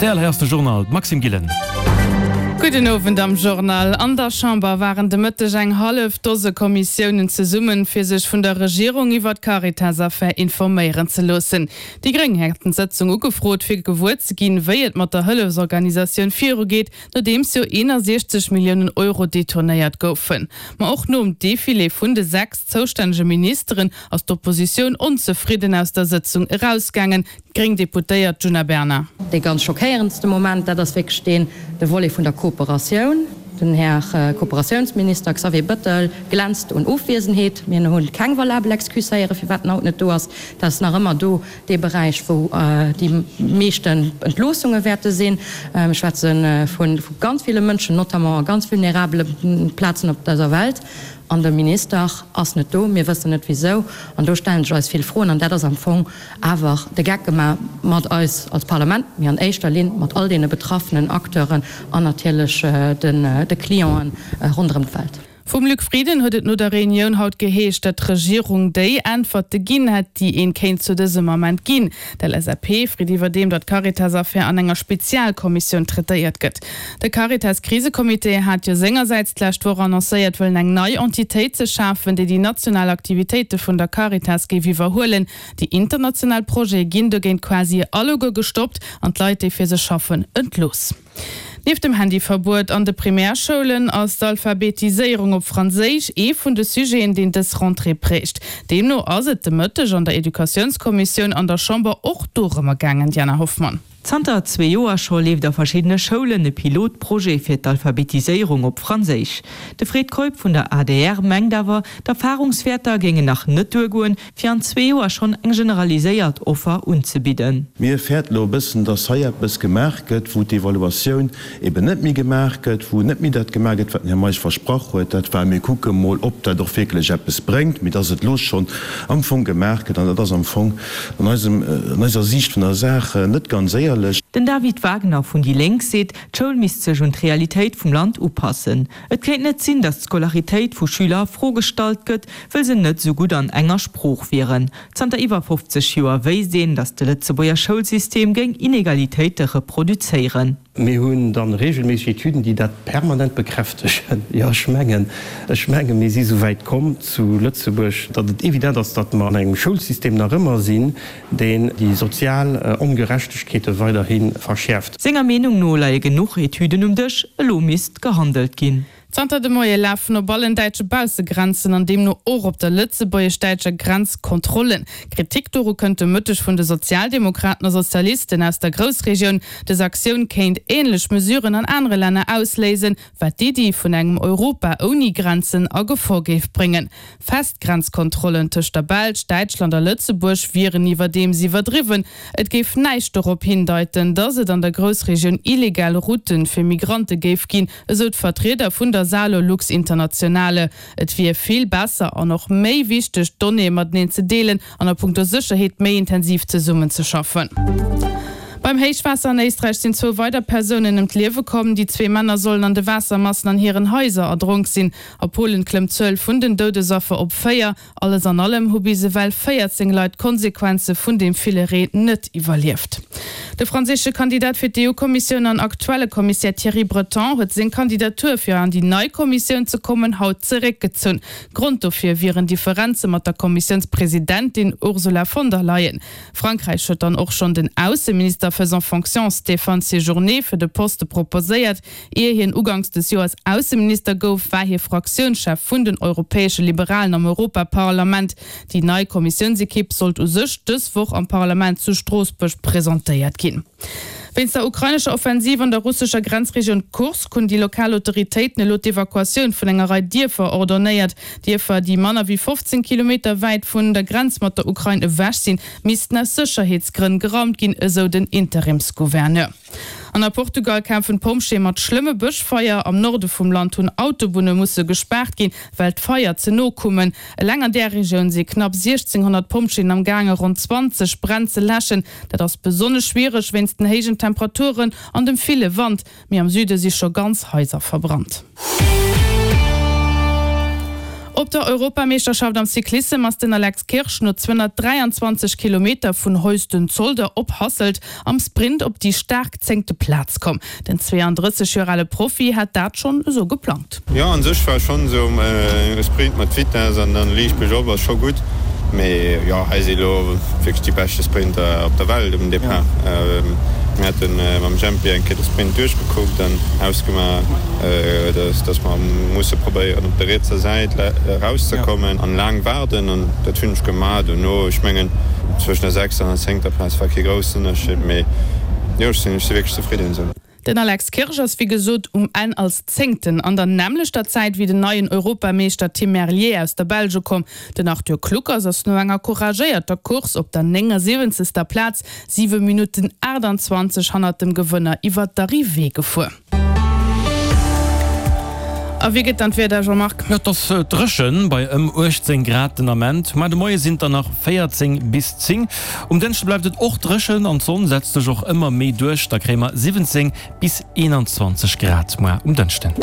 Rtl, hei ass de Journal, d'Maxime Gillen. Gudden Owend am Journal. An der Chamber waren de Mëtteg eng hallef Dose Kommissiounen zesummen, fir sech vun der Regierung iwwer d'Caritas-Affär informéieren ze loossen. Déi Gréng hätten d'Sëtzung ugefrot, fir gewuer ze ginn, wéi et mat der Hëllefsorganisatioun virugeet, nodeems jo 61 Milliounen Euro detournéiert goufen. Ma och nom Defilé vun de 6 zoustännege Ministeren ass d'Oppositioun onzefridden aus der Sëtzung erausgaangen. D'gréng Deputéiert Djuna Bernard. Dee ganz schockéierendste Moment, dat ass wierklech deen, de Volet vun der Kooperatioun. Den Här Kooperatiounsminister Xavier Bëttel glänzt un Ofwiesenheet. Mir hu keng valabel Excuse héieren, firwat en haut net do ass. Dat ass nach ëmmer do dee Beräich, wou déi meeschten Entloossunge wäerte sinn. Ech schwätze vu ganz ville Mënschen, notamment a ganz vulnerabele Plazen op dëser Welt. An de Minister ass net do. Mir wëssen net wisou. An do stellen sech eis vill Froen. An dat ass am Fong awer de Geck gemaach mat eis als Parlament, mee an éischter Linn mat all deene betraffenen Acteuren an natierlech de Clienten ronderëm d'Welt. Vum Luc Frieden huet et no der Reunioun haut geheescht, datt d'Regierung déi Äntwerte ginn hätt, déi een kéint zu dësem Ament ginn. D'LSAP freet iwwerdeem, datt d'Caritas-Affär an enger Spezialkommissioun traitéiert gëtt. De Caritas-Krisecomité hat jo sengersäits d'lescht Woch annoncéiert, wëllen eng nei Entitéit ze schafen, déi déi national Aktivitéite vun der Caritas géif iwwerhuelen. Déi international Projete ginn dogéint quasi alleguer gestoppt an d'Leit, déi fir se schaffen, entlooss. Nieft dem Handyverbuet an de Primärschoulen ass d'Alphabetiséierung op Franséisch ee vun de Sujeten, deen dës Rentrée prägt. Deemno ass et de Mëtteg an der Educatiounskommissioun an der Chamber och dorëmmer gaangen, Diana Hoffmann. Zanter zwee Joer scho leeft a verschiddene Schoulen e Pilotprojet fir d'Alphabetiséierung op Franséisch. De Fred Keup vun der adr mengt awer, d'Erfarungswäerter géingen nach net duergoen, fir an zwee Joer schonn eng generaliséiert Offer unzebidden. Mir fäerten elo e bëssen, dass hei eppes gemaach gëtt, wou d'Evaluatioun eben net méi gemaach gëtt, wou net méi dat gemaach gëtt, wat den Här Meisch versprach huet. Dat war, mir kucke mol, ob dat och wierklech eppes bréngt, mee dass et elo schonn am Fong gemaach gëtt. An dat ass am Fong an eisem, an eiser Siicht vun der Saach net ganz éierlech. Den David Wagner vun déi Lénk seet, d'Schoul misst sech un d'Realitéit vum Land upassen. Et kéint net sinn, datt d'Scolaritéit vu Schüler a Fro gestallt gëtt, wëll se net esou gutt an enger Sprooch wieren. Zanter iwwer 50 Joer wéisst een, datt de Lëtzebuerger Schoulsystem géing Inegalitéite reproduzéieren. Mir hunn da regelméisseg Etüden, déi dat permanent bekräftegen. Jo, ech mengen, ech mengen, mir si souwäit komm zu Lëtzebuerg, datt et evident ass, datt mer an engem Schoulsystem nach ëmmer sinn, deen déi sozial Ongerechtegkeete weiderhi verschäerft. Senger Meenung no leie genuch Etüden um Dësch, elo misst gehandelt ginn. Zanter de Moie lafen op allen däitsche Baussegrenzen an deemno och op der lëtzebuergesch-däitscher Grenz Kontrollen. Kritik doru kënnt de Mëtteg vun de Sozialdemokraten a Sozialisten aus der Groussregioun. Dës Aktioun kéint änlech Mesuren an anere Länner ausléisen, wat d'Iddi vun engem Europa ouni Grenzen a Gefor géif bréngen. Fest Grenzkontrollen tëscht der Belsch, Däitschland a Lëtzebuerg wieren iwwerdeems iwwerdriwwen. Et géif näischt dorop hindeiten, datt et an der Groussregioun illegal Route fir Migrante géif ginn, esou d'Vertrieder vun der Salolux Internationale. Et wier vill besser an och méi wichteg, d'Donnéeë mateneen ze deelen an a punkto Sécherheet méi intensiv zesummenzeschaffen. Beim Héichwaasser an Éisträich sinn zwou weider Persounen ëm d'Liewe komm. Déi zwee Männer sollen an de Waassermassen an hiren Haiser erdronk sinn. A Polen klëmmt d'Zuel vun den Doudesaffer op 4. Alles an allem hu bis ewell 14 Leit d'Konsequenze vun deem ville Reen net iwwerlieft. De franséische Kandidat fir d'EU-Kommissioun an aktuelle Kommissär Thierry Breton huet seng Kandidatur fir an déi nei Kommissioun ze kommen haut zeréckgezunn. Grond dofir wieren Differenze mat der Kommissiounspresidentin Ursula von der Leyen. Frankräich huet dann och schonn den Ausseminister faisant fonction Stéphane Séjourné fir de Poste proposéiert. Ier hien uganks des Joers Ausseminister gouf, war hie Fraktiounschef vun den Europäesche Liberalen am Europaparlament. Déi nei Kommissiounsekipp sollt u sech dës Woch am Parlament zu Stroossbuerg presentéiert ginn. Wéinst der ukrainescher Offensiv an der russescher Grenzregioun Kursk hunn déi lokal Autoritéiten elo d'Evakuatioun vun enger Rei Dierfer ordonnéiert. Dierfer, déi manner wéi 15 Kilometer wäit vun der Grenz mat der Ukrain ewech sinn, missten aus Sécherheetsgrënn geraumt ginn, esou den Interimsgouverneur. An a Portugal kämpfen d'Pompjeeë mat schlëmme Bëschfeier. Am Norde vum Land hunn Autobunne musse gespaart ginn, well d'Feier ze no kummen. Eleng an där Regioun si knapp 1.600 Pompjeeën am gaange ronn 20 Bränn ze läschen. Dat ass besonnesch schwiereg wéinst den héijen Temperaturen an dem ville Wand. Mee am Süde si scho ganz Haiser verbrannt. Op der Europameeschterschaft am Cyclissem ass den Alex Kirsch no 223 Kilometer vun Heusden-Zolder op Hasselt am Sprint op déi staark zéngte Plaz komm. Den 32 Joer ale Profi hat dat schonn esou geplangt. Jo, an sech war schonn esou e Sprint mat Vitess an dann liicht bergop ass scho gutt, mee jo hei si lo wierklech déi beschte Sprinter op der Welt um Depart. Mir hate mam Jempy eng Kéier de Sprint duerchgekuckt an ausgemaach, dass mer musse probéieren op der rietser Säit erauszekommen an laang waarden an dat hunn ech gemaach. Dono, ech mengen zwëschen der sechster an der zéngter Plaz war kee groussen Ënnerscheed, mee jo ech sinn wierklech zefridden esou. Den Alex Kirsch ass wéi gesot um Enn als Zéngten an der nämmlechter Zäit wéi den neien Europameeschter Tim Merlier aus der Belge komm. Den Arthur Kluckers ass no enger couragéierter Course op der 79. Plaz 7 Minutten 28 hannert dem Gewënner iwwer d'Arrivée gefuer. A wéi gëtt dann d'Wieder, Jean-Marc? Et ass dréchen bei ëm 18 Grad den Ament. Muer de Moie sinn et der nach 14 bis 10. Um Dënschde bleift et och dréchen an d'Sonn setzt sech och ëmmer méi duerch. Da kréie mer 17 bis 21 Grad muer um Dënschden.